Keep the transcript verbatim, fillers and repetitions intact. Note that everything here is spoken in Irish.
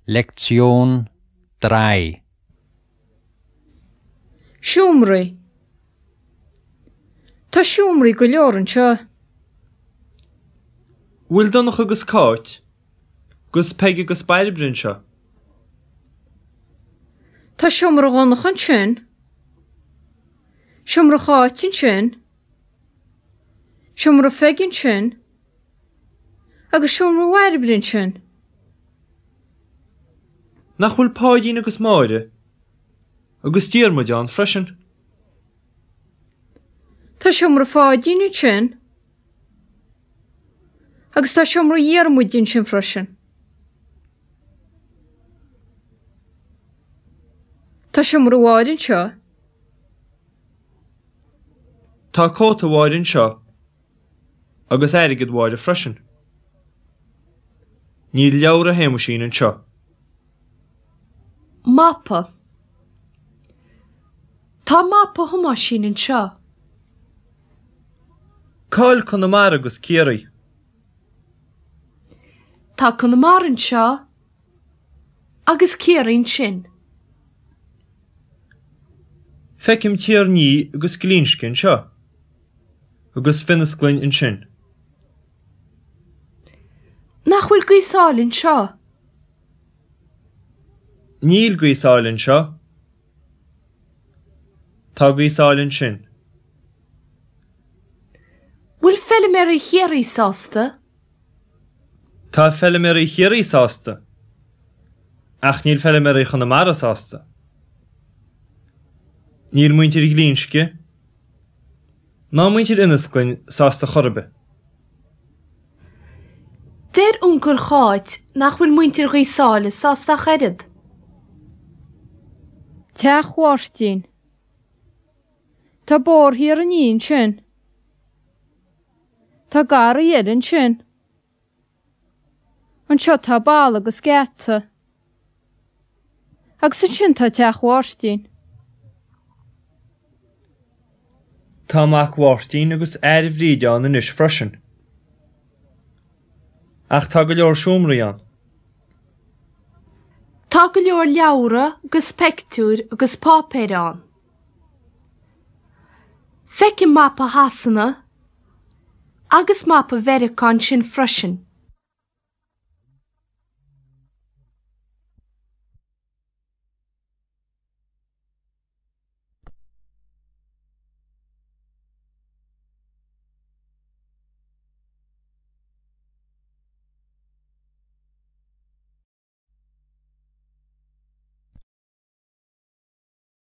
Lektion drei. Seomraí. Tá seomraí go leor anseo. Bhfuil Donncha agus Cáit, 'gus Peig agus Bairbre anseo. Tá seomra Dhonncha ansin. Seomra Cháit ansin. Seomra Pheig ansin. Agus seomra Bhairbre ansin. Nach bhfuil Páidín agus Máire agus Diarmuid ann freisin. Tá seomra Pháidín ansin. Agus tá seomra Dhiarmuid ansin freisin. Tá seomra Mháire anseo. Tá cóta Mháire anseo agus airgead Mháire freisin. Níl leabhra Shéamuisín anseo. Mapa. Tá mapa Thomáisín anseo. Cá bhfuil Conamara agus Ciarraí. Tá Conamara anseo agus Ciarraí ansin. Feicim Tír an Fhia agus Glinsce anseo, agus Finnasclainn ansin. Nach bhfuil Gaoth Sáile anseo? Níl Gaoth Sáile anseo. Tá Gaoth Sáile ansin. Bhfuil feilméaraí Chiarraí sásta? Tá feilméaraí Chiarraí sásta, ach níl feilméaraí Chonamara sásta. Níl muintir Ghlinsce ná muintir Ionnasclainn sásta chor ar bith. Deir uncail Cháit nach bhfuil muintir Ghaoth Sáile sásta ach oiread. Teach Mháirtín. Tá bóthar Thír an Fhia ansin. Tá garraí eile ansin. Anseo tá balla agus geata. Agus ansin tá teach Mháirtín. Tá mac Mháirtín agus fhear Bhríde ann anois freisin. Ach tá go leor seomraí ann. Tá go leor leabhra agus pictiúir agus páipéir ann. Feicim mapa Shasana agus mapa Mheiriceá ansin freisin.